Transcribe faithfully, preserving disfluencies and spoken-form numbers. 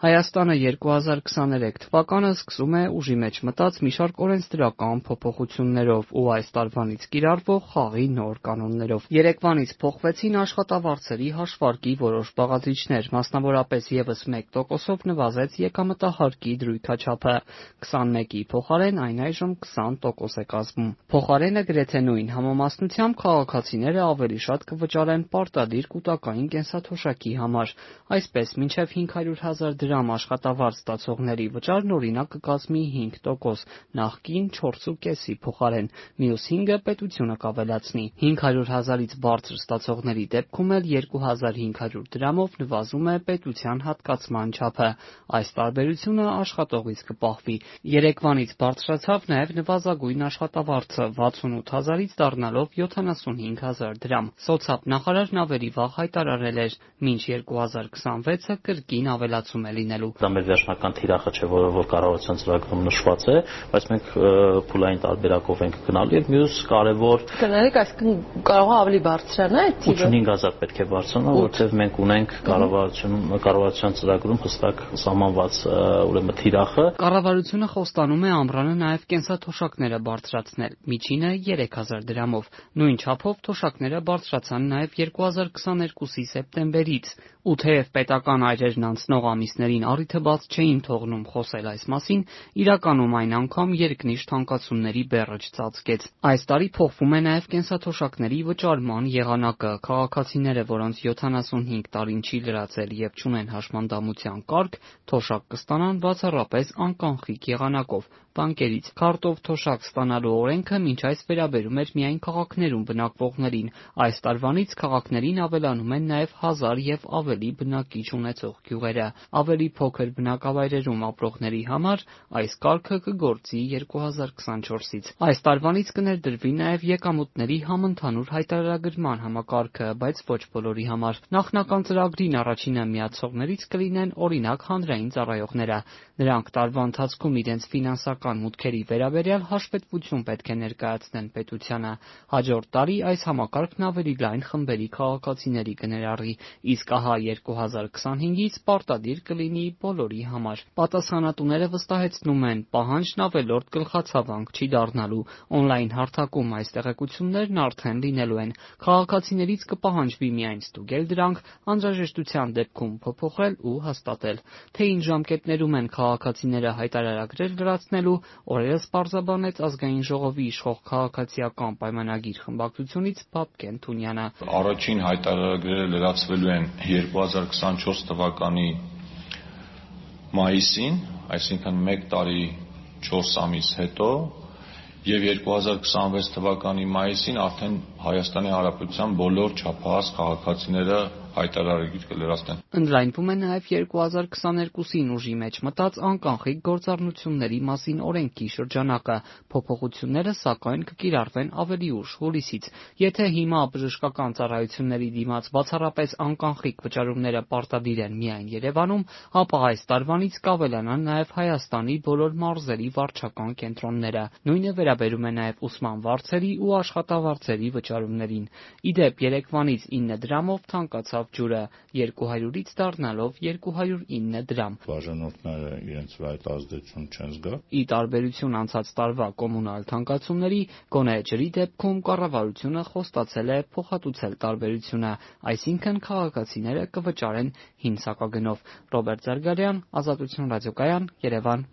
Հայաստանը երկու հազար քսաներեք թվականը սկսում է ուժի մեջ մտած մի շարք օրենսդրական փոփոխություններով ու այս տարվանից կիրառվող խաղի նոր կանոններով։ Երեկվանից փոխվեցին աշխատավարձերի հաշվարկի որոշ բաղադրիչներ, մասնավորապես ևս մեկ տոկոսով նվազեց եկամտահարկի դրույքաչափը, քսանմեկի փոխարեն այն այժմ քսան տոկոս է կազմում։ Փոխարենը գրեթե նույն համամասնությամբ քաղաքացիները ավելի շատ կվճարեն պարտադիր կൂട്ടակային կենսաթոշակի համար, այսպես մինչև հինգ հարյուր հազար դրամ աշխատավարձ ստացողների վճարն օրինակ կկազմի հինգ տոկոս, նախկին չորսի կեսի փոխարեն, մյուս հինգը պետությունը կավելացնի։ հինգ հարյուր հազարից բարձր ստացողների դեպքում էլ երկու հազար հինգ հարյուր դրամով նվազում է պետության հատկացման չափը։ Այս տարբերությունը աշխատողից կպահվի։ Երեկվանից բարձրացավ նաև նվազագույն աշխատավարձը վաթսունութ հազարից դառնալով յոթանասունհինգ հազար դրամ։ Սոցիալ-նախարարն ավելի վաղ հայտարարել էր՝ մինչ երկու հազար քսանվեցը կրկին ավելացում է լինելու։ Դա մեր վերջնական թիրախը չէ, որը որ կառավարության ծրագրում նշված է, բայց մենք փուլային տարբերակով ենք գնալու եւ մյուս կարևոր կներեք, այսինքն կարող է ավելի բարձրանա այդ թիվը։ ութանհինգ հազար պետք է բարձրանա, որովհետեւ մենք ունենք կառավարությունում կառավարության ծրագրում հստակ սահմանված ուրեմն թիրախը։ Կառավարությունը խոստանում է ամռանը նաև կենսաթոշակները բարձրացնել, միջինը երեք հազար դրամով։ Նույն չափով թոշակները բարձրացան նաև երկու հազար քսաներկուսի սեպտեմբերից։ Ու թեև պետական այրերն անցնող ամիսներին առիթը բաց չէին թողնում խոսել այս մասին, իրականում այն անգամ երկնիշ թանկացումների բեռը չծածկեց։ Այս տարի փոխվում է նաև կենսաթոշակների վճարման եղանակը։ Քաղաքացիները, որոնց յոթանասունհինգ տարին չի լրացել եւ չունեն հաշմանդամության կարգ, թոշակ կստանան բացառապես անկանխիկ եղանակով բանկերից։ Քարտով թոշակ ստանալու օրենքը մինչ այս վերաբերում էր միայն քաղաքներում բնակվողներին։ Այս տարվանից քաղաքներին ավելանում են նաև հազար եւ ավելի բնակիչ ունեցող գյուղերը։ Ավելի փոքր բնակավայրերում ապրողների համար այս կարգը կգործի երկու հազար քսանչորսից։ Այս տարվանից կներդրվի նաև եկամուտների համընդհանուր հայտարարագրման համակարգը, բայց ոչ բոլորի համար։ Նախնական ծրագրին առաջինը միացողներից կլինեն օրինակ հանրային ծառայողները։ Նրանք տարվա ընթացքում իրենց ֆինանսական մուտքերի վերաբերյալ հաշվետվություն պետք է ներկայացնեն պետությանը։ Հաջորդ տարի այս համակարգն ավելի լայն խմբերի քաղաքացիների կներառի, իսկ ահա երկու հազար քսանհինգից պարտադիր կլինի բոլորի համար։ Պատասխանատուները վստահեցնում են՝ պահանջն ավելորդ գլխացավանք չի դառնալու։ Օնլայն հարթակում այս տեղեկություններն արդեն լինելու են։ Քաղաքացիներից կպահանջվի միայն ստուգել դրանք, անհրաժեշտության դեպքում փոփոխել ու հաստատել։ Թե ինչ ժամկետներում են քաղաքացիները հայտարարագրեր լրացնելու, օրերս պարզաբանեց Ազգային ժողովի իշխող քաղաքացիական պայմանագիր խմբակցությունից Բաբկեն Թունյանը։ Առաջին հայտարարագրերը լրացվելու են երկու հազար քսանչորս թվականի մայիսին, այսինքն մեկ տարի չորս ամիս հետո, եւ երկու հազար քսանվեց թվականի մայիսին արդեն Հայաստանի Հանրապետության բոլոր չափահաս քաղաքացիները հայտարարագիր կլրացնեն։ Ընդլայնվում է նաև երկու հազար քսաներկուսին ուժի մեջ մտած անկանխիկ գործառնությունների մասին օրենքի շրջանակը։ Փոփոխությունները, սակայն, կկիրառվեն ավելի ուշ հուլիսից։ Եթե հիմա բժշկական ծառայությունների դիմաց բացառապես անկանխիկ վճարումները պարտադիր են միայն Երևանում, ապա այս տարվանից կավելանան նաև Հայաստանի բոլոր մարզերի վարչական կենտրոնները։ Նույնը վերաբերում է նաև ուսման վարձերի ու աշխատավարձերի վճարումներին։ Ի դեպ, երեկվանից ինը դրամով թանկացավ ջուրը, երկու հարյուրից դառնալով երկու հարյուր ինը դրամ։ Բաժանորդները իրենց վրա այդ ազդեցություն չեն զգա։ Ի տարբերություն անցած տարվա կոմունալ թանկացումների, գոնե ջրի դեպքում կառավարությունը խոստացել է փոխհատուցել տարբերությունը, այսինքն քաղաքացիները կվճարեն հին սակագնով։ Ռոբերտ Զարգարյան, Ազատություն ռադիոկայան, Երևան։